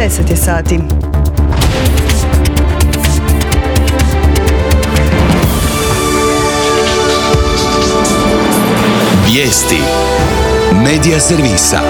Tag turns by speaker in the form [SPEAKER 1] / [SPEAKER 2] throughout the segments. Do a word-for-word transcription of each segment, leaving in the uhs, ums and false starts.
[SPEAKER 1] deset je sati.
[SPEAKER 2] Vijesti Medija servisa.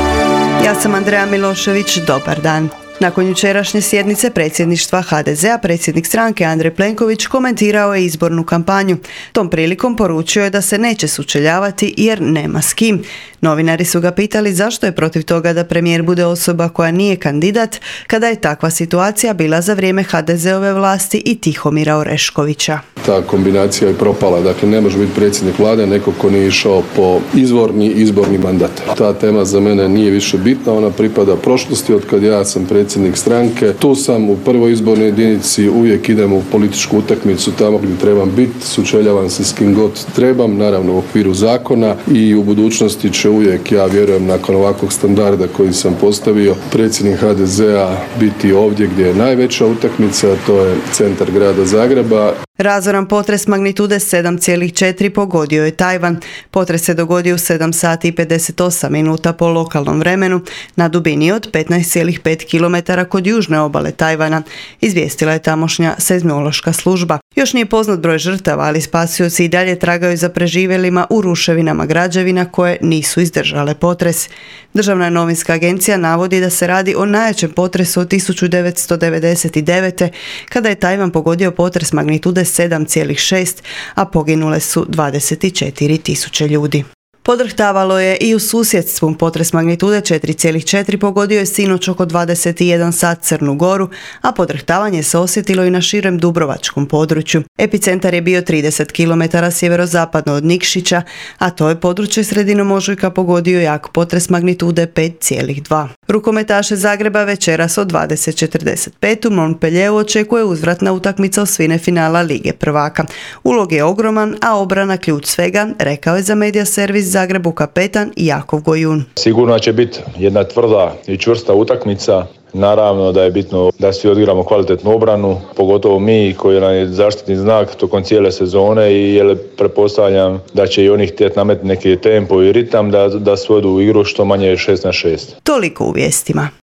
[SPEAKER 1] Ja sam Andreja Milošević, dobar dan. Nakon jučerašnje sjednice predsjedništva ha de zea, predsjednik stranke Andrej Plenković komentirao je izbornu kampanju. Tom prilikom poručio je da se neće sučeljavati jer nema s kim. Novinari su ga pitali zašto je protiv toga da premijer bude osoba koja nije kandidat, kada je takva situacija bila za vrijeme ha de zeove vlasti i Tihomira Oreškovića.
[SPEAKER 3] Ta kombinacija je propala, dakle ne može biti predsjednik vlade neko ko nije išao po izvorni izborni mandat. Ta tema za mene nije više bitna, ona pripada prošlosti od kad ja sam predsjednik stranke. Tu sam u prvoj izbornoj jedinici, uvijek idem u političku utakmicu tamo gdje trebam biti, sučeljavam se s kim god trebam, naravno u okviru zakona, i u budućnosti će uvijek, ja vjerujem, nakon ovakvog standarda koji sam postavio, predsjednik ha de zea biti ovdje gdje je najveća utakmica, a to je centar grada Zagreba.
[SPEAKER 1] Razoran potres magnitude sedam zarez četiri pogodio je Tajvan. Potres se dogodio u sedam sati i pedeset osam minuta po lokalnom vremenu na dubini od petnaest zarez pet kilometara kod južne obale Tajvana, izvijestila je tamošnja seizmološka služba. Još nije poznat broj žrtava, ali spasioci i dalje tragaju za preživjelima u ruševinama građevina koje nisu izdržale potres. Državna novinska agencija navodi da se radi o najjačem potresu od tisuću devetsto devedeset devete. kada je Tajvan pogodio potres magnitude sedam zarez šest, a poginule su dvadeset četiri tisuće ljudi. Podrhtavalo je i u susjedstvu. Potres magnitude četiri zarez četiri pogodio je sinoć oko dvadeset jedan sat Crnu Goru, a podrhtavanje se osjetilo i na širem dubrovačkom području. Epicentar je bio trideset kilometara sjeverozapadno od Nikšića, a to je područje sredinom ožujka pogodio jak potres magnitude pet zarez dva. Rukometaše Zagreba večeras od dvadeset četrdeset pet u Montpellieru očekuje uzvratna utakmica osvine finala Lige prvaka. Ulog je ogroman, a obrana ključ svega, rekao je za Medija servis Zagrebu kapetan Jakov Gojun.
[SPEAKER 4] Sigurno će biti jedna tvrda i čvrsta utakmica. Naravno da je bitno da svi odigramo kvalitetnu obranu, pogotovo mi koji nam je zaštitni znak tokom cijele sezone, i jer pretpostavljam da će i oni htjeti nametiti neki tempo i ritam da, da svodu igru što manje šest na šest.
[SPEAKER 1] Toliko u vijestima.